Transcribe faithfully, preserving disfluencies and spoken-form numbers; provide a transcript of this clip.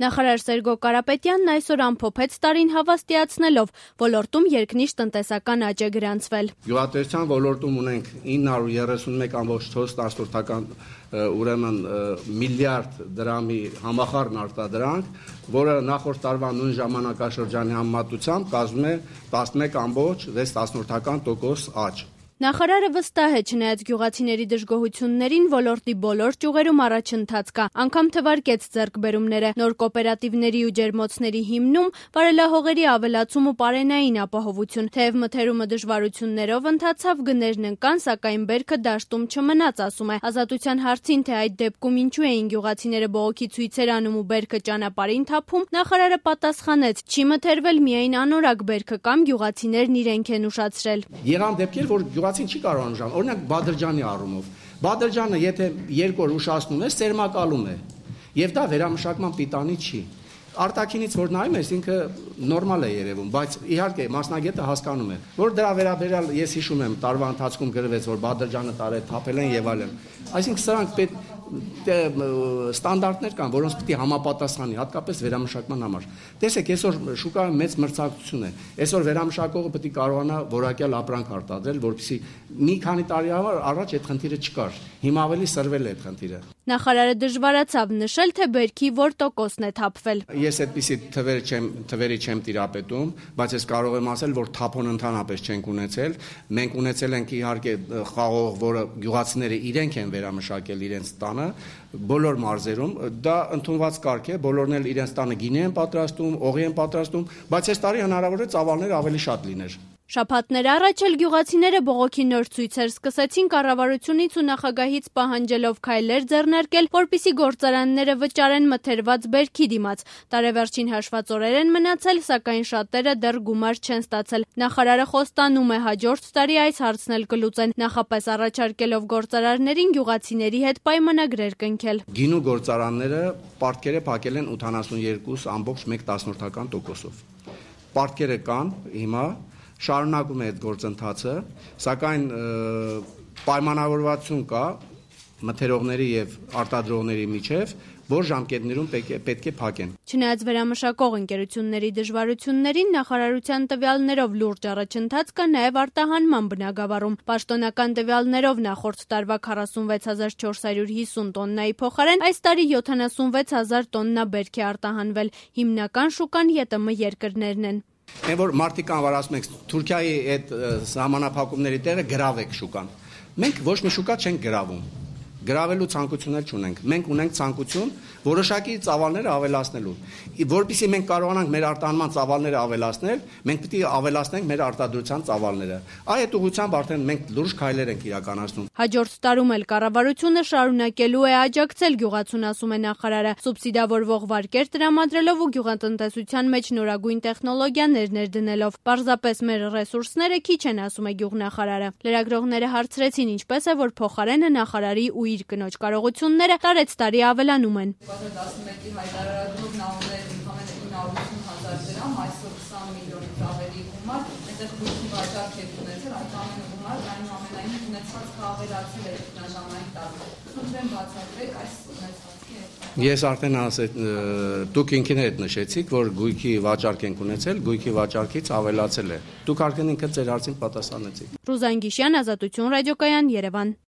Նախարար Սերգո Կարապետյանն այսօր ամփոփեց տարին հավաստիացնելով, ոլորտում երկնիշ տնտեսական աճ է գրանցվել։ Գյուղատնտեսության ոլորտում ունենք ինը հարյուր երեսունմեկ կόμma չորս տասնորդական ուրեմն միլիարդ դրամի համախառն արտադրանք, որը նախորդ տարվա նույն ժամանակաշրջանի համեմատությամբ կազմում է տասնմեկ կόμma վեց տասնորդական տոկոս աճ։ Նախարարը վստահ է, չնայած գյուղացիների դժգոհություններին, ոլորտի բոլոր ճյուղերում առաջընթաց կա, անգամ թվարկեց ձեռքբերումները, նոր կոոպերատիվների ու ջերմոցների հիմնում, վարելահողերի ավելացում ու պարենային ապահովություն, թեև մթերումը դժվարություններով ընթացավ, գներն ընկան, սակայն բերքը դաշտում չմնաց, ասում է։ Ազատության հարցին, թե այդ դեպքում ինչու էին գյուղացիները բողոքի ցույցեր անում ու բերքը ճանապարհին թափում, նախարարը պատասխանեց՝ չի մթերվել միայն անորակ բերքը կամ գյուղացիներն իրենք են ուշացրել։ Եղան դեպքեր, որ գյուղացին չի կարող ուշալ, օրինակ Բադրջանի առումով։ Բադրջանը եթե երկու օր ուշացնում է, սերմակալում է, եւ դա վերամշակման պիտանի չի։ Արտաքինից որ նայում ես, ինքը նորմալ է երևում, բայց իհարկե մասնագետը հասկանում է, որ դրա վերաբերյալ ես հիշում եմ տարվա ընթացքում գրվեց, որ Բադրջանը տարել թափել են եւ այլն։ Այսինքն սրանք պետք ստանդարտներ կան, որոնց պետք է համապատասխանի, հատկապես վերամշակման համար։ Տեսեք, այսօր շուկայում մեծ մրցակցություն է։ Այսօր վերամշակողը պետք է կարողանա որակյալ ապրանք արտադրել, որպեսզի մի քանի տարի առաջ այդ խնդիրը չկար։ Հիմա ավելի սրվել է այդ խնդիրը։ Նախարարը դժվարացավ նշել, թե բերքի որ տոկոսն է թափվել։ Ես այդպիսի թվեր չեմ, թվերի չեմ տիրապետում, բայց ես կարող եմ ասել, որ թափոն ընդհանրապես չենք ունեցել։ Մենք ունեցել ենք իհարկե խաղող, որը գյուղացիները իրենք են վերամշակել իրենց տանը, բոլոր մարզերում, դա ընդունված կարգ է, բոլորն էլ իրենց տանը գինի են պատրաստում, օղի են պատրաստում, բայց այս տարի հնարավոր է ծավալները ավելի շատ լիներ։ Շաբաթներ առաջ էլ գյուղացիները բողոքի նոր ցույցեր սկսեցին կառավարությունից ու նախագահից պահանջելով քայլեր ձեռնարկել, որպեսզի գործարանները վճարեն մթերված բերքի դիմաց։ Տարեվերջին հաշված օրեր են մնացել, սակայն շատերը դեռ գումար չեն ստացել։ Նախարարը խոստանում է հաջորդ տարի այս հարցն էլ կլուծեն, նախապես առաջարկելով գործարարներին գյուղացիների հետ պայմանագրեր կնքել։ Գինու գործարանները պարտքերը փակել են ութանասունյերկու կόμma մեկ տասնորդական տոկոսով։ Պարտքերը կան հիմա շարունակում է այդ գործընթացը, սակայն պայմանավորվածություն կա մթերողների եւ արտադրողների միջև, որ ժամկետներում պետք է փակեն։ Չնայած վերամշակող ընկերությունների դժվարություններին, նախարարության տվյալներով լուրջ առաջընթաց կա նաեւ արտահանման բնագավառում։ Պաշտոնական տվյալներով նախորդ տարվա քառասունվեց հազար չորս հարյուր հիսուն տոննայի փոխարեն այս տարի յոթանասունվեց հազար տոննա բերք է արտահանվել։ Հիմնական շուկան ԵՏՄ երկրներն են։ Այն որ մարդիկ անվար ասում եք Թուրքիայի այդ սահմանափակումների տեղը գրավեք շուկան։ Մենք ոչ մի շուկա չենք գրավում։ Գրավելու ցանկություններ չունենք։ Մենք ունենք ցանկություն որոշակի ծավալները ավելացնելու։ Որպեսզի մենք կարողանանք մեր արտահանման ծավալները ավելացնել, մենք պետք է ավելացնենք մեր արտադրության ծավալները։ Այդ ուղղությամբ արդեն մենք լուրջ քայլեր ենք իրականացնում։ Հաջորդ տարում էլ կառավարությունը շարունակելու է աջակցել գյուղացուն, ասում է նախարարը, սուբսիդավորվող վարկեր տրամադրելով ու գյուղատնտեսության մեջ նորագույն տեխնոլոգիաներ ներդնելով։ Պարզապես մեր ռեսուրսները քիչ են, ասում է գյուղնախարարը։ Լրագրողները հարցրեցին, ինչպես է, որ փոխարենը նախարարի ու իր կնոջ կարողությունները տարեց տարի ավելանում են։ տասնմեկի հայտարարելով նա ուներ ընդամենը ինը հարյուր ութ հազար դրամ, այսօր քսան միլիոնից ավելի գումար, այնտեղ գույքի վաճառք եք ունեցել, այդ ամենը գումար այնուամենայնիվ ունեցվածքը ավելացել է տնաժամային տարի։ Խնդրեմ բացատրեք այս ունեցվածքի հետ։ Ես արդեն ասել, դուք ինքներդ նշեցիք, որ գույքի վաճառք ենք ունեցել, գույքի վաճառքից ավելացել է։ Դուք արդեն ինքը ձեր հարցին պատասխանեցիք։ Ռուզան Գիշյան, Ազատություն ռադիոկայան, Երևան։